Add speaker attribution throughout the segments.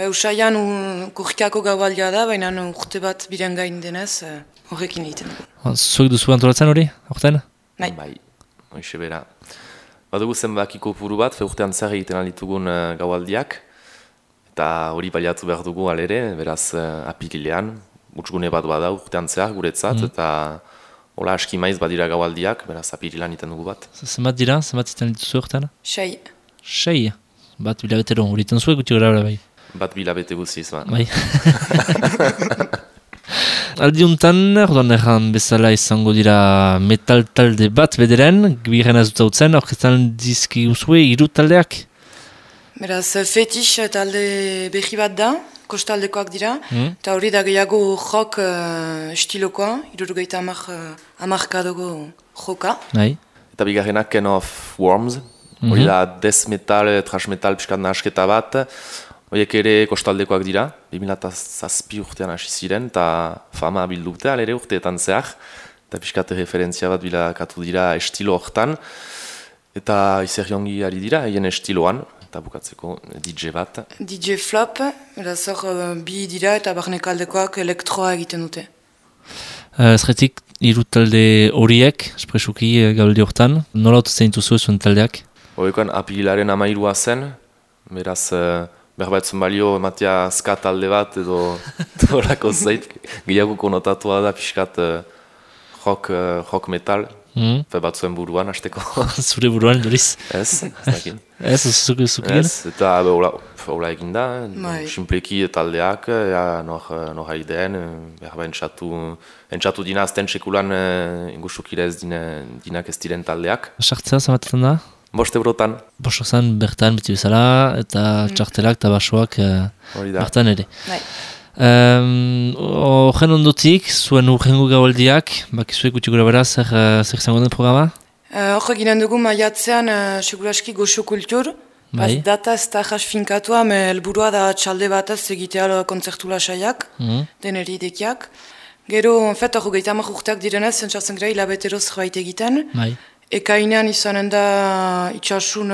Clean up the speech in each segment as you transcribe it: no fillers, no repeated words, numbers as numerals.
Speaker 1: Usaian kurkako gaualdia da, baina urte bat biren gain denez, horrekin egiten dugu.
Speaker 2: Zuek duzu antolatzen hori, horten?
Speaker 1: Bai.
Speaker 3: Hoxe bera. Badugu zenbakiko puru bat, urtean zer egiten alitugun gaualdiak, eta hori baliatu behar dugu alere, beraz apirilean, utxgune bat bada urtean zehar guretzat, eta hola aski maiz badira gaualdiak, beraz apirilean iten dugu bat.
Speaker 2: Zenbat dira, zenbat iten dituzu urtean?
Speaker 1: 6.
Speaker 2: 6? Bat bilabetero, hori iten zuek guti gara bai?
Speaker 3: Bat bilabete guziz, ba.
Speaker 2: Bai. Aldiuntan, orduan erran bezala izango dira metal talde bat bederen, biren ez dut hautzen, orkestan dizki uzue, 3 taldeak?
Speaker 1: Beraz, fetish talde berri bat da, kostaldekoak dira, eta hori da gehiago jok estilokoa, 70 joka.
Speaker 2: Eta
Speaker 3: bigarrenak Ken of Worms, hori da death metal, thrash metal, piskat nahasketa bat, horiek ere kostaldekoak dira, 2007 urtean hasi ziren, eta fama bildu dute, alere urteetan zehar, eta piskat referentzia bat bilakatu dira estilo hortan, eta izeriongi ari dira, hien estiloan, eta bukatzeko DJ bat.
Speaker 1: DJ Flop, beraz hor bi dira eta barnekaldekoak elektroa egiten dute.
Speaker 2: Zerretik, 3 talde horiek, espresuki gauldi hortan, nola otuzen dituzu zuen taldeak?
Speaker 3: Horrekoan apirilaren 13 zen, beraz berbaetzen balio ematea ska talde bat edo horako zait, gehiago konotatua da pixkat rock metal, batzuen buruan hasteko.
Speaker 2: Zure buruan, Doriz?
Speaker 3: Ez dakin.
Speaker 2: Ez, zukien?
Speaker 3: Ez, eta hola egin da, simpleki taldeak, nor haideen, berba entzatu dina azten sekulan ingusukira ez dinak ez diren taldeak.
Speaker 2: Sartzea, zamatetan da?
Speaker 3: 5 eurotan.
Speaker 2: 5 zan bertan beti bezala, eta txartelak eta basoak bertan ere. Horren ondotik, zuen urrengo gaualdiak, bakizuek gutxi gura bera, zer izango den programa?
Speaker 1: Hor eginen dugu maiatzean seguraski goxo kultur, data ez da jas finkatua, helburua da txalde bataz egitea kontzertu lasaiak, deneri idekiak. Gero, hor gehiamak urteak direnez, zentzatzen gara hilabeteroz zerbait egiten. Ekainean izanen da itxasun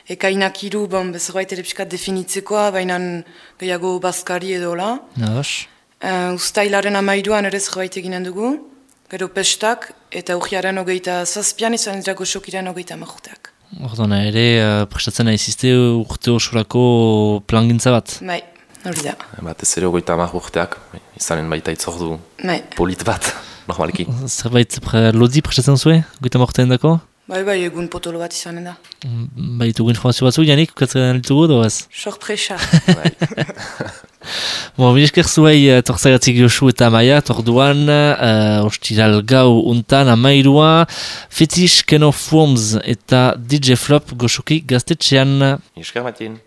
Speaker 1: ekainak 3, zerbait ere pixkat definitzekoa, baina gehiago bazkari edo la. Uztailaren 13an ere zerbait eginen dugu, gero pestak, eta urriaren 27an izanen dira goxokiren 30 urteak.
Speaker 2: Orduan ere, prestatzen nahizizte urte osurako plangintza bat?
Speaker 1: Bai, hori da.
Speaker 3: Batez ere 30 urteak, izanen baita itzordu polit bat. Normalki.
Speaker 2: Zerbait lodi prestatzen zuen, goita morten dako?
Speaker 1: Bai, egun potolo bat izanen da.
Speaker 2: Ditugu informazio batzuk, Janik, ukatzen ditugu, doaz?
Speaker 1: Sorpresa.
Speaker 2: Minesker zuei torzagatik Josu eta Maia, torduan, ostiral gau untan, 13, Fetish, Ken of Worms eta DJ Flop goxoki gaztetxean.
Speaker 3: Minesker Matin.